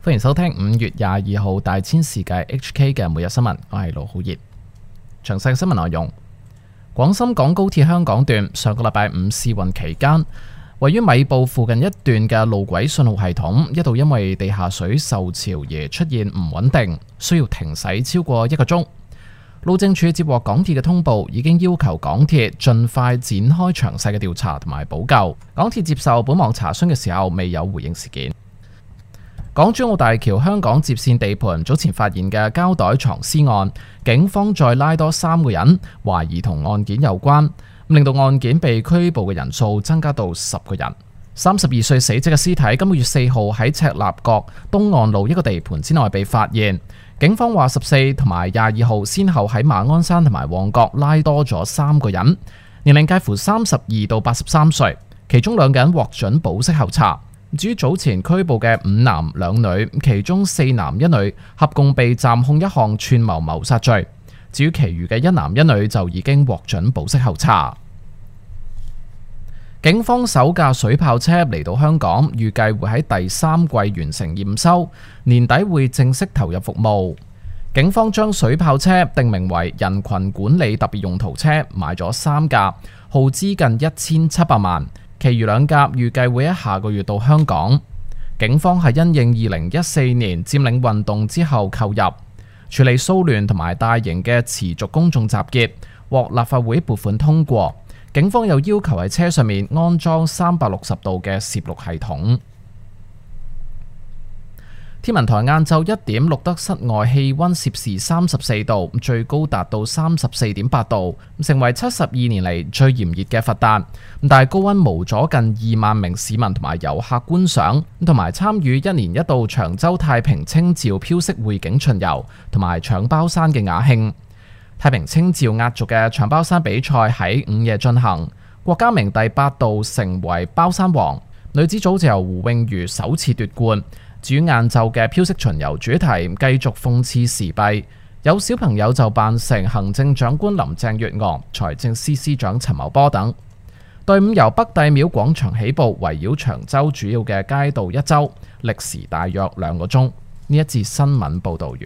歡迎收聽5月22號大千世界 HK 嘅每日新聞，我係盧浩熱。詳細新聞內容：廣深港高鐵香港段上個禮拜五試運期間，位於米埔附近一段嘅路軌信號系統一度因為地下水受潮而出現唔穩定，需要停駛超過1個鐘。路政署接獲港鐵嘅通報，已經要求港鐵盡快展開詳細嘅調查同埋補救。港鐵接受本網查詢嘅時候，未有回應事件。港珠澳大橋香港接線地盤早前發現嘅膠袋藏屍案，警方再拉多3個人，懷疑同案件有關，令到案件被拘捕嘅人數增加到10個人。32歲死者嘅屍體今個月4號喺赤鱲角東岸路一個地盤之內被發現。警方話14同埋22號先後喺馬鞍山同埋旺角拉多咗3個人，年齡介乎32到83歲，其中2個人獲准保釋候查。至於早前拘捕嘅5男2女，其中4男1女合共被暫控一項串謀謀殺罪。至於其餘嘅1男1女就已經獲准保釋候查。警方首架水炮車嚟到香港，預計會喺第3季完成驗收，年底會正式投入服務。警方將水炮車定名為人群管理特別用途車，買咗3架，耗資近1700萬。其餘2架預計會喺下個月到香港。警方係因應2014年佔領運動之後購入，處理騷亂同埋大型嘅持續公眾集結，獲立法會撥款通過。警方又要求喺車上面安裝360度嘅攝錄系統。天文台晏晝1點錄得室外氣溫攝氏34度，最高達到34.8度，成為72年嚟最炎熱嘅佛誕。但係高溫無阻近2萬名市民同埋遊客觀賞，同埋參與1年1度長洲太平清醮飄色匯景巡遊同埋搶包山嘅雅興。太平清醮壓軸嘅搶包山比賽喺午夜進行，郭家明第8度成為包山王，女子組就由胡詠茹首次奪冠。至於晏晝嘅飄色巡遊主題繼續諷刺時弊，有小朋友就扮成行政長官林鄭月娥、財政司司長陳茂波等。隊伍由北帝廟廣場起步，圍繞長洲主要嘅街道一周，歷時大約2個鐘。呢一節新聞報導完。